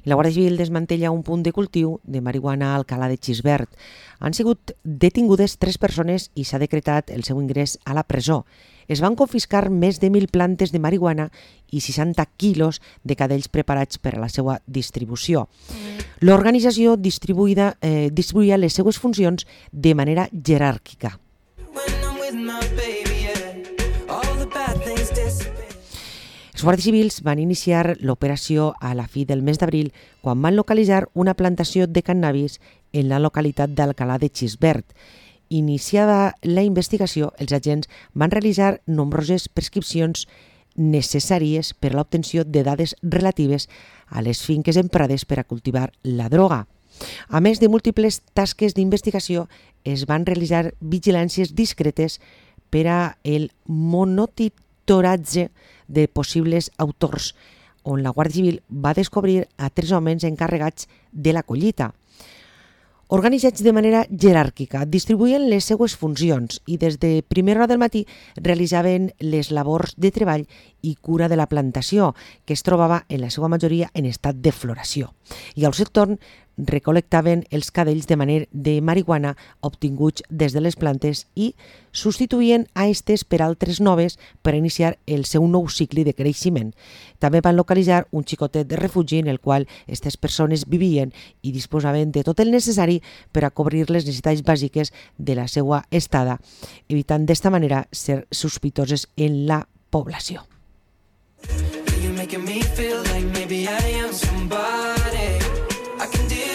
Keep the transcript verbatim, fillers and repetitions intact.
La Guàrdia Civil desmantella un punt de cultiu de marihuana a Alcalà de Xisbert. Han sigut detingudes tres persones i s'ha decretat el seu ingrés a la presó. Es van confiscar més de mil plantes de marihuana i seixanta quilos de cadells preparats per a la seva distribució. L'organització distribuïda, eh, distribuïa les seues funcions de manera jeràrquica. Els guàrdies civils van iniciar l'operació a la fi del mes d'abril quan van localitzar una plantació de cannabis en la localitat d'Alcalà de Xisbert. Iniciada la investigació, els agents van realitzar nombroses prescripcions necessàries per a l'obtenció de dades relatives a les finques emprades per a cultivar la droga. A més de múltiples tasques d'investigació, es van realitzar vigilàncies discretes per a el monitoratge de possibles autors, on la Guàrdia Civil va descobrir a tres homes encarregats de la collita. Organitzats de manera jeràrquica, distribuïen les seues funcions i des de primera hora del matí realitzaven les labors de treball i cura de la plantació, que es trobava en la seva majoria en estat de floració. I al seu torn recol·lectaven els cadells de manera de marihuana obtinguts des de les plantes i substituïen a estes per altres noves per iniciar el seu nou cicle de creixement. També van localitzar un xicotet de refugi en el qual aquestes persones vivien i disposaven de tot el necessari per a cobrir les necessitats bàsiques de la seva estada, evitant d'esta manera ser sospitoses en la població.